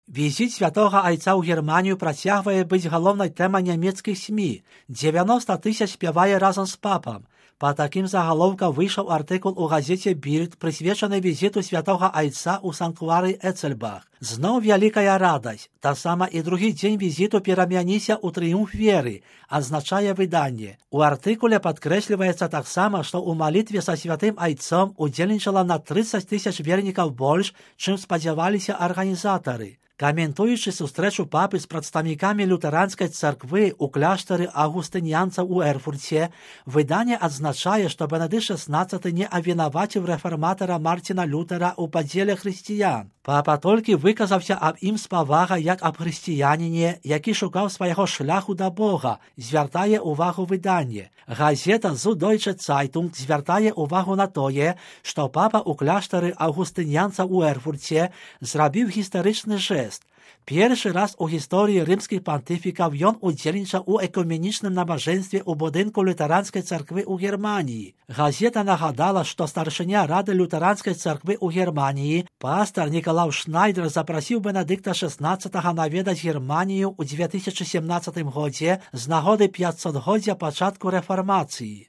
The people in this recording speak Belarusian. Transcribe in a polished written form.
Візит святого Айца ў Германію працягвае быць галоўнай тэмай нямецкіх СМІ. 90 тысяч спявае разам з папам. Па такім загалоўкам выйшаў артыкул у газеце «Більд», прысвечаны візіту святого Айца ў санктуары Эцельбах. Зноў вялікая радасць. Таксама і другі дзень візіту перамяніся ў трыумф веры, адзначае выданне. У артыкуле падкрэсліваецца таксама, што ў малітве са святым Айцом удзельнічала на 30 тысяч вернікаў больш, чым спадзяваліся арганізатары. Каментуючы сустрэчу папы з прадстаўнікамі лютэранскай царквы ў кляштары аўгустыніянцаў у Эрфурце, выданне адзначае, што Бенедыкт XVI не абвінаваціў рэфарматара Марціна Лютера ў падзеле хрысціян. Папа толькі выказаўся аб ім з павагай як аб хрысціяніне, які шукаў свайго шляху да Бога, звяртае ўвагу выданне. Газета «Süddeutsche Zeitung» звяртае ўвагу на тое, што папа ў кляштары аўгустыніянцаў у Эрфурце зрабіў гістарычны жэст. Першы раз у гісторыі рымскіх пантыфікаў ён удзельнічаў у экуменічным набажэнстве ў будынку лютэранскай царквы ў Германіі. Газета нагадала, што старшыня рады лютэранскай царквы ў Германіі, пастар Нікалаў Шнайдер, запрасіў Бенедыкта XVI наведаць Германію ў 2017 годзе з нагоды 500-годдзя пачатку рэфармацыі.